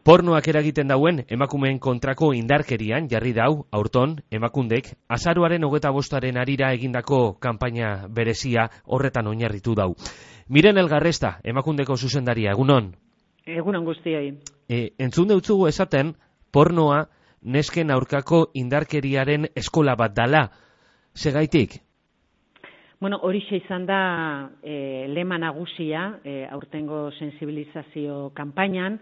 Pornoak eragiten dauen emakumeen kontrako indarkerian jarri dau aurton emakundek azaroaren 25 harira egindako kanpaina berezia horretan oinarritu dau. Miren Elgarresta, emakundeko zuzendaria, egunon? Egunon guztioi. Entzun deutzugu esaten, pornoa nesken aurkako indarkeriaren eskola bat dala. Segaitik? Bueno, horixe izan da lema nagusia aurtengo sensibilizazio kanpainan,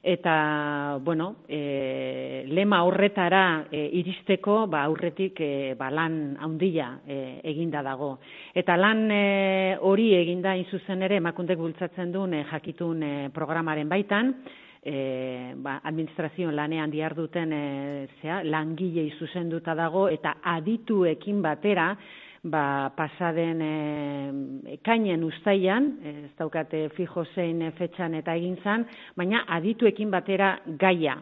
eta, bueno, lema horretara iristeko aurretik lan handia eginda dago. Eta lan hori eginda zuzen ere emakundek bultzatzen duen jakitun programaren baitan, administrazioen lanean diharduten langilei zuzenduta dago, eta adituekin batera, pasaden ekainen uztailan, ez daukate fijo zein fetxan eta egin zan, baina adituekin batera gaia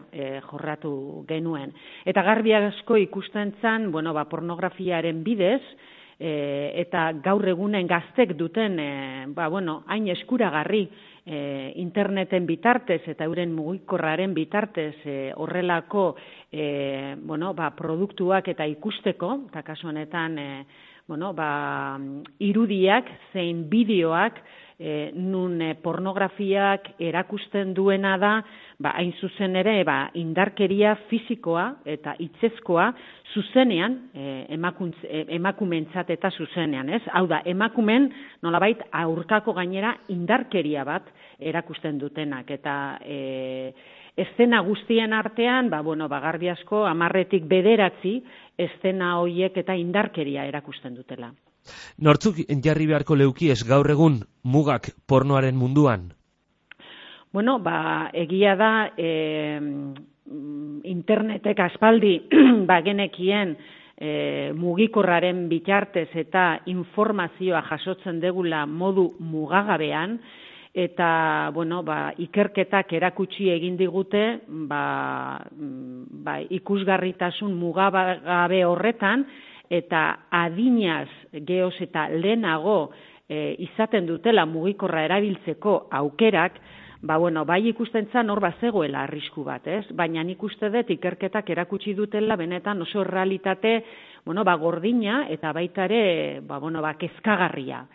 jorratu genuen. Eta garbi asko ikusten zan, pornografiaren bidez, eta gaur egunen gaztek duten, hain eskuragarri interneten bitartez eta euren mugikorraren bitartez horrelako produktuak eta ikusteko, eta kasu honetan irudiak zein bideoak nun pornografiak erakusten duena da, hain zuzen ere indarkeria fisikoa eta hitzezkoa zuzenean, emakumeentzat eta zuzenean, ez? Hau da, emakumeen nolabait aurkako gainera indarkeria bat erakusten dutenak, eta eszena guztien artean, garbi asko 10-tik 9 eszena horiek eta indarkeria erakusten dutela. Nortzuk jarri beharko leukiez gaur egun mugak pornoaren munduan? Egia da internetek aspaldi genekien mugikorraren bitartez eta informazioa jasotzen degula modu mugagabean, eta ikerketak erakutsi egin digute ikusgarritasun mugagabe horretan, eta adinaz geoz eta lehenago izaten dutela mugikorra erabiltzeko aukerak, bai ikusten zan hor bazegoela arrisku bat, ez? Baina nik uste dut ikerketak erakutsi dutela benetan oso errealitate gordina eta baita ere kezkagarria.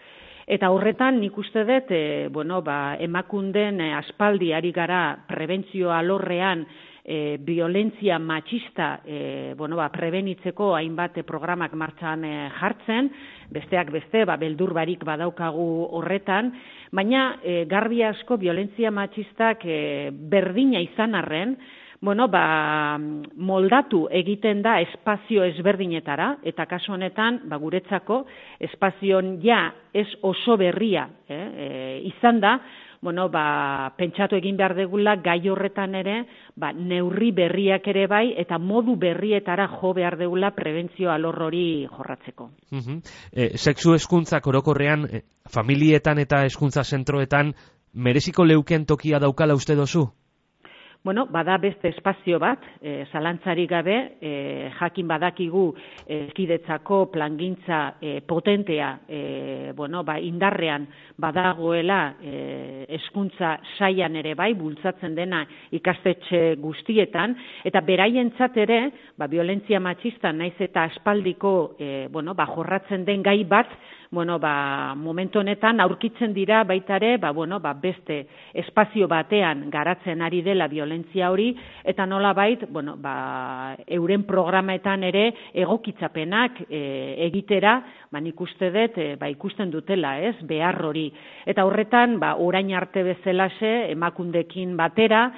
Eta horretan nik uste dut emakunden aspaldi ari gara prebentzio alorrean violentzia matxista prebenitzeko hainbat programak martxan jartzen, besteak beste, beldur barik badaukagu horretan, baina garbi asko violentzia matxistak berdina izan arren, moldatu egiten da espazio ezberdinetara, eta kasu honetan, guretzako, espazioan ez oso berria izan da, pentsatu egin behar degula gai horretan ere, neurri berriak ere bai, eta modu berrietara jo behar degula prebentzio alor hori jorratzeko. Sexu hezkuntzak orokorrean, familietan eta hezkuntza zentroetan, mereziko leuken tokia daukala uste dozu? Bada beste espazio bat, zalantzarik gabe, jakin badakigu eskidetzako plangintza potentea indarrean badagoela hezkuntza sailan ere bai, bultzatzen dena ikastetxe guztietan, eta beraientzat ere, violentzia matxista naiz eta aspaldiko jorratzen den gai bat, momentu honetan aurkitzen dira baita ere, beste espazio batean garatzen ari dela violentzia hori, eta nolabait, euren programetan ere egokitzapenak egitera, nik uste dut, ikusten dutela, ez, behar hori. Eta horretan, orain arte bezalaxe, emakundekin batera,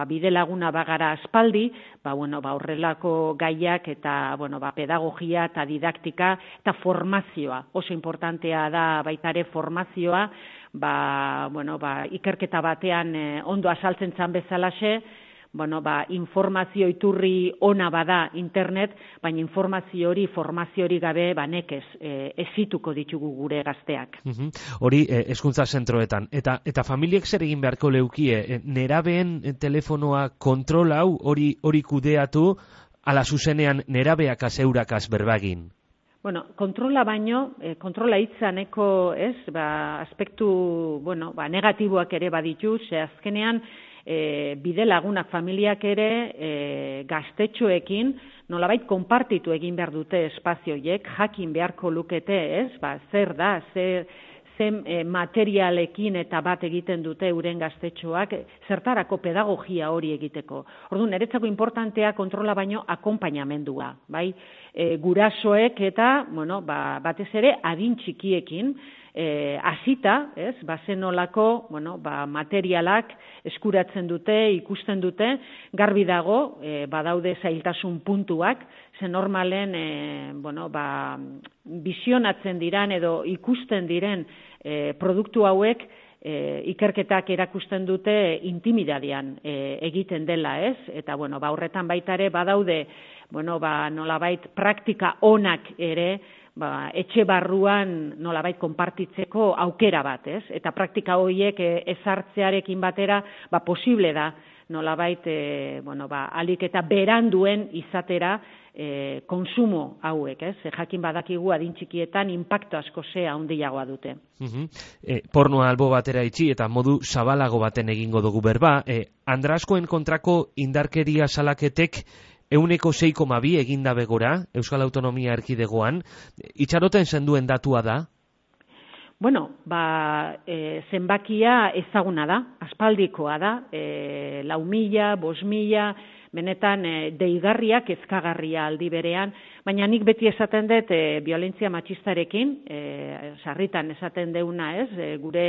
bide laguna bagara aspaldi, horrelako gaiak eta pedagogia eta didaktika eta formazioa. Oso importantea da baita ere formazioa, ikerketa batean ondo azaltzen zan bezalaxe, informazio iturri ona bada internet, baina informazio hori, formazio hori gabe nekez ezituko ditugu gure gazteak. Hori hezkuntza zentroetan. Eta familiek zer egin beharko leukie? Nerabeen telefonoa kontrolau hori kudeatu, ala zuzenean nerabeak azeurakaz berbagin? Kontrola baino, kontrola hitzaneko, aspektu, negatiboak ere baditu, ze azkenean, bide lagunak familiak ere gaztetxoekin nolabait konpartitu egin behar dute espazioiek, jakin beharko lukete, ez? Zer da, zen materialekin eta bat egiten dute euren gaztetxoak, zertarako pedagogia hori egiteko. Orduan, niretzako importantea kontrola baino akonpainamendua, bai? Gurasoek eta, batez ere, adin txikiekin, hasita, ez, zenolako, materialak eskuratzen dute, ikusten dute, garbi dago, badaude zailtasun puntuak, ze normalen, bizionatzen diran edo ikusten diren produktu hauek, ikerketak erakusten dute intimidadean egiten dela, ez? Eta, horretan baita ere, badaude, nolabait praktika onak ere, etxe barruan nolabait konpartitzeko aukera bat, ez? Eta praktika horiek ezartzearekin batera, posible da, nolabait, alik eta beranduen izatera konsumo hauek, ez? Jakin badakigu adin txikietan inpaktu asko handiagoa dute. Pornoa albo batera itxi eta modu zabalago baten egingo dugu berba. Andraskoen kontrako indarkeria salaketek 6,2 eginda begora, Euskal Autonomia Erkidegoan, itxaroten zenduen datua da? Zenbakia ezaguna da, aspaldikoa da, 4.000, 5.000, benetan deigarriak ezkagarria aldi berean, baina nik beti esaten dut violentzia matxistarekin, sarritan esaten deuna ez, gure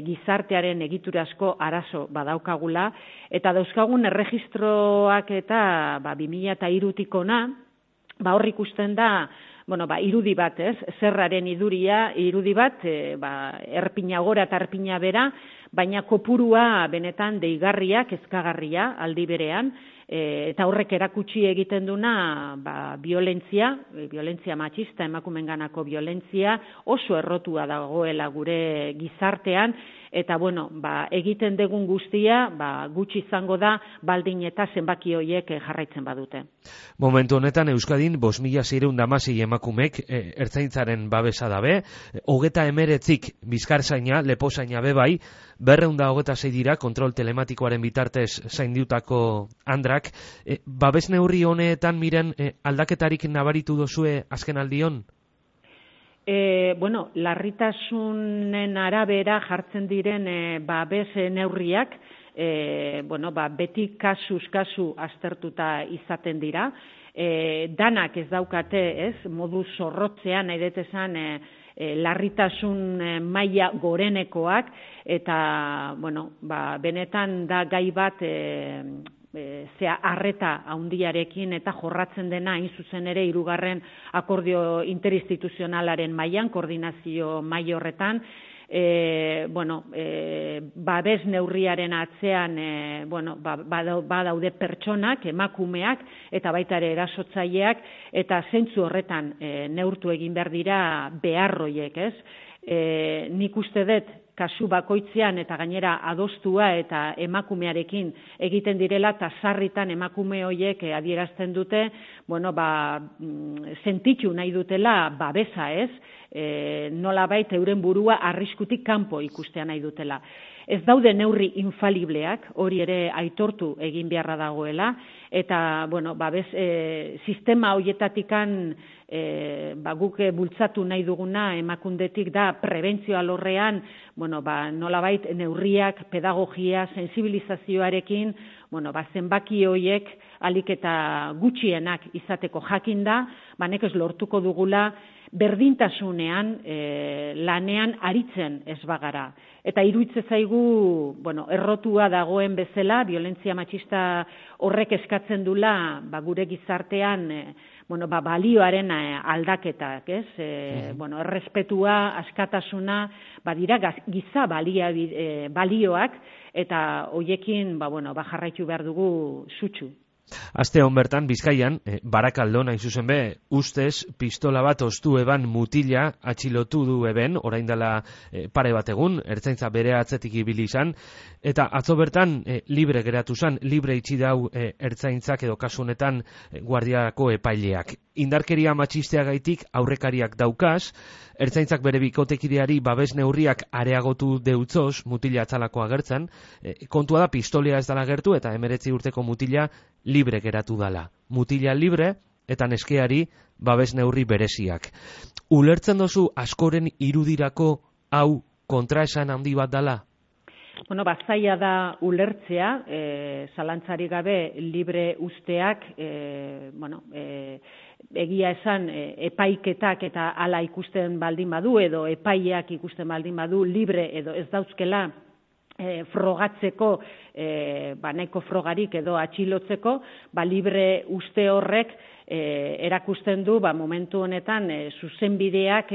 gizartearen egiturazko arazo badaukagula, eta dauzkagun erregistroak eta 2003-tik ona, hor ikusten da, irudi bat, ez, zerraren irudi bat, erpina gora eta erpina bera, baina kopurua benetan deigarriak, ezkagarria aldi berean, eta horrek erakutsi egiten duna violentzia matxista, emakumenganako violentzia oso errotua dagoela gure gizartean, eta egiten dugun guztia gutxi izango da baldin eta zenbaki horiek jarraitzen badute. Momentu honetan Euskadin 5.616 emakumek ertzaintzaren babesa dabe, 39 bizkarzaina, lepozaina bebai, 226 dira kontrol telematikoaren bitartez zaindiutako andrak. Babes neurri honetan miren aldaketarik nabaritu dozue azken aldion? Larritasunen arabera jartzen diren babes neurriak, beti kasuz kasu aztertuta izaten dira. Danak ez daukate, ez, modu zorrotzean, nahi dut esan, larritasun maila gorenekoak, eta, benetan da gai bat, arreta handiarekin eta jorratzen dena hain zuzen ere 3. akordio interinstituzionalaren mailan, koordinazio maila horretan, babes neurriaren atzean badaude pertsonak, emakumeak, eta baita ere erasotzaileak, eta zentzu horretan neurtu egin behar dira beharroiek, ez? Nik uste dut, kasu bakoitzean eta gainera adostua eta emakumearekin egiten direla, eta sarritan emakume horiek adierazten dute, sentitu nahi dutela babesa, ez? Nolabait euren burua arriskutik kanpo ikustea nahi dutela. Ez daude neurri infalibleak, hori ere aitortu egin beharra dagoela, eta, babes, sistema horietatikan guk bultzatu nahi duguna emakundetik da prebentzio alorrean, nolabait neurriak, pedagogia, sensibilizazioarekin, zenbaki horiek alik eta gutxienak izateko jakinda, nekez lortuko dugula berdintasunean lanean aritzen ez bagara. Eta iruditzen zaigu, errotua dagoen bezala, violentzia matxista horrek eskatzen dula, gure gizartean, balioaren aldaketak, ez? Errespetua, askatasuna, dira giza balioak, eta hoiekin, jarraitu behar dugu sutsu. Aste hon bertan, Bizkaian, Barakaldon hain zuzen be, ustez pistola bat ostu eban mutila atxilotu du eben, orain dela pare bat egun, ertzaintza bere atzetik ibili izan, eta atzo bertan libre geratu zan, libre itxi dau ertzaintzak edo kasu honetan guardiako epaileak. Indarkeria matxisteagaitik aurrekariak daukaz, ertzaintzak bere bikotekideari babes neurriak areagotu deutzoz, mutila atzalako agertzen, kontua da pistolea ez dala gertu eta 19 urteko mutila libre geratu dala. Mutila libre eta neskeari babes neurri bereziak. Ulertzen dozu askoren irudirako hau kontraesan handi bat dala? Bueno, zaila da ulertzea, zalantzari gabe libre usteak, egia esan epaiketak eta hala ikusten baldin badu edo epaileak ikusten baldin badu libre edo ez dauzkela frogatzeko, nahiko frogarik edo atxilotzeko, libre uste horrek erakusten du momentu honetan zuzenbideak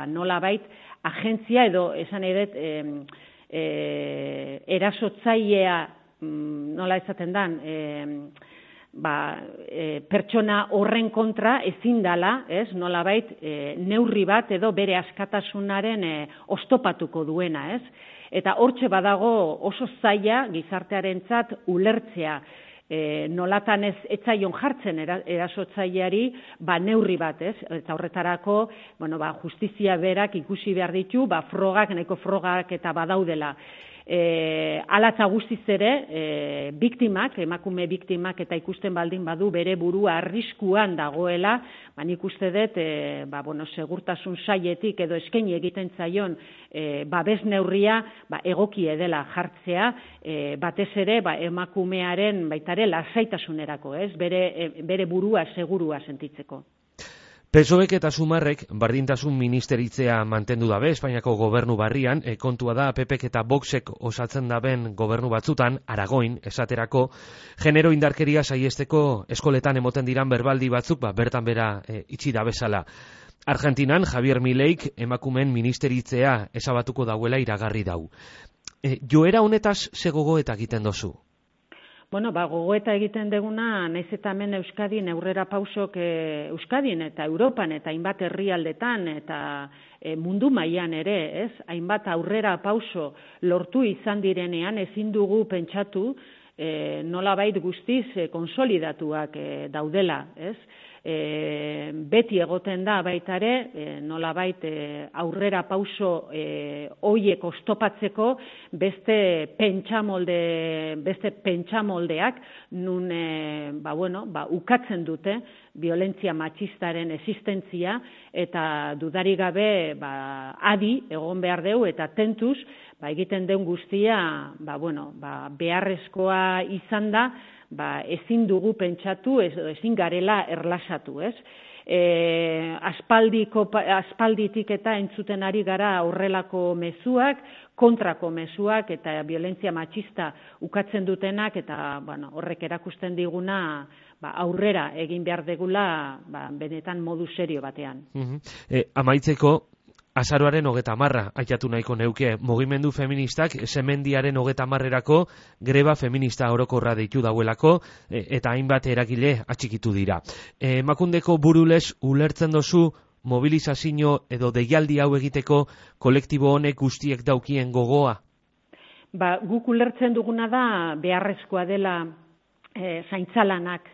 nolabait agentzia edo esan edet erasotzailea nola esaten dan pertsona horren kontra ezin dala, nolabait neurri bat edo bere askatasunaren oztopatuko duena, Eta hortxe badago oso zaila gizartearentzat ulertzea, nolatan ez etzaion jartzen erasotzaileari neurri bat, Eta horretarako, justizia berak ikusi behar ditu, frogak, nahiko frogak eta badaudela. Hala eta guztiz ere, emakume biktimak eta ikusten baldin badu bere burua arriskuan dagoela, nik uste dut, segurtasun sailetik edo eskaini egiten zaion babes neurria egoki edela jartzea, batez ere emakumearen baitare lasaitasunerako, bere burua segurua sentitzeko. PSOEk eta Sumarrek bardintasun ministeritzea mantendu dabe Espainiako gobernu barrian, kontua da PPek eta Voxek osatzen daben gobernu batzutan, Aragoin, esaterako, genero indarkeria saiesteko eskoletan emoten diran berbaldi batzuk, bertan bera itxi da bezala. Argentinan, Javier Mileik emakumeen ministeritzea ezabatuko dauela iragarri dau. Joera honetaz ze gogoeta egiten dozu? Gogoeta egiten deguna, naiz eta hemen Euskadin aurrera pausok Euskadin eta Europan eta hainbat herrialdetan eta mundu mailan ere, hainbat aurrera pauso lortu izan direnean ezin dugu pentsatu nolabait guztiz konsolidatuak daudela, beti egoten da baita ere, nolabait aurrera pauso hoiek oztopatzeko beste pentsamoldeak nun ukatzen dute violentzia matxistaren existentzia eta dudarik gabe adi egon behar deu eta tentuz egiten den guztia beharrezkoa izan da ezin dugu pentsatu, ezin garela erlasatu, aspalditik eta entzuten ari gara horrelako mezuak, kontrako mezuak eta violentzia matxista ukatzen dutenak eta horrek erakusten diguna aurrera egin behar degula benetan modu serio batean. Amaitzeko, azaroaren 30 aitatu nahiko neuke, mugimendu feministak semendiaren 30erako greba feminista orokorra deitu dauelako eta hainbat eragile atxikitu dira. Emakundeko burulez ulertzen dozu mobilizazio edo deialdi hau egiteko kolektibo honek guztiek daukien gogoa? Guk ulertzen duguna da beharrezkoa dela zaintzalanak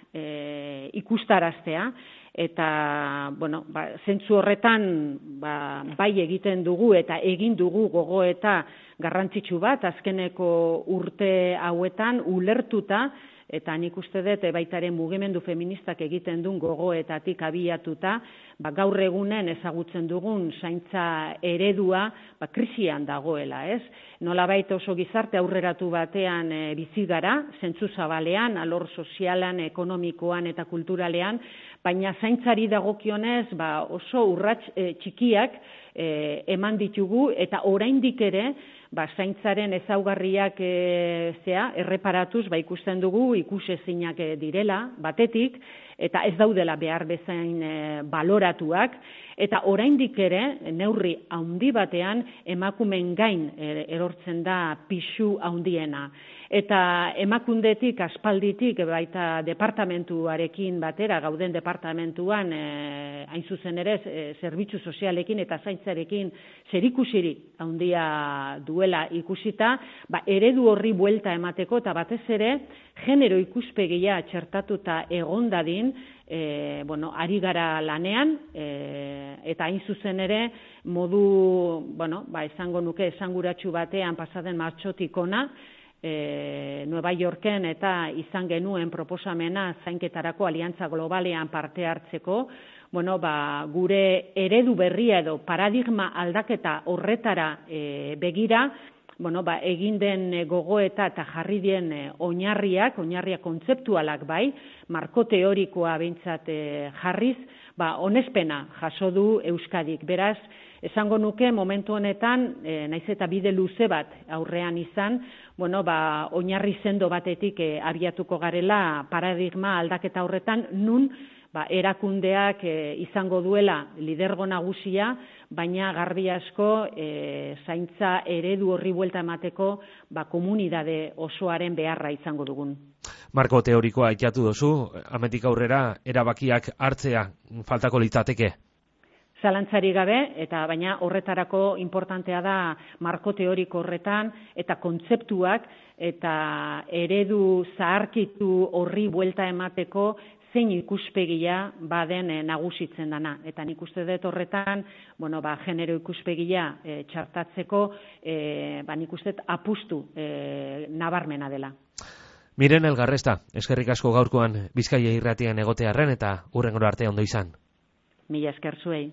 ikustaraztea, eta, zentzu horretan, bai egiten dugu eta egin dugu gogoeta garrantzitsu bat, azkeneko urte hauetan ulertuta, eta nik uste dut baitaren mugimendu feministak egiten duen gogoetatik abiatuta, gaur egunen ezagutzen dugun zaintza eredua krisian dagoela, Nolabait oso gizarte aurreratu batean bizi gara, zentzu zabalean, alor sozialan, ekonomikoan eta kulturalean, baina zaintzari dagokionez oso urrats txikiak eman ditugu eta oraindik ere zaintzaren ezaugarriak erreparatuz ikusten dugu ikusezinak direla batetik eta ez daudela behar bezain baloratuak eta oraindik ere neurri handi batean emakumeen gain erortzen da pisu handiena. Eta emakundetik, aspalditik, baita departamentuarekin batera, gauden departamentuan, hain zuzen ere, zerbitzu sozialekin eta zaintzarekin zerikusirik handia duela ikusita, eredu horri buelta emateko eta batez ere, genero ikuspegia txertatuta egon dadin, ari gara lanean, eta hain zuzen ere, modu, esango nuke, esanguratsu batean pasaden martxotik ona, Nueva Yorken eta izan genuen proposamena zainketarako aliantza globalean parte hartzeko, gure eredu berria edo paradigma aldaketa horretara begira, egin den gogoeta eta jarri den oinarriak kontzeptualak bai, marko teorikoa behintzat jarriz, onespena jaso du Euskadik. Beraz, esango nuke momentu honetan, naiz eta bide luze bat aurrean izan, oinarri sendo batetik abiatuko garela paradigma aldaketa horretan, nun erakundeak izango duela lidergo nagusia, baina garbi asko zaintza eredu horri buelta emateko komunitate osoaren beharra izango dugun. Marko teorikoa aipatu duzu, hemendik aurrera erabakiak hartzea faltako litzateke. Zalantzari gabe, baina horretarako importantea da marko teoriko horretan eta kontzeptuak eta eredu zaharkitu horri buelta emateko zein ikuspegia baden nagusitzen dana. Eta nik uste dut horretan, genero ikuspegia txartatzeko, nik uste dut apustu nabarmena dela. Miren Elgarresta, eskerrik asko gaurkoan Bizkaia irratian egotearren eta hurrengora arte ondo izan. Mila esker zuei.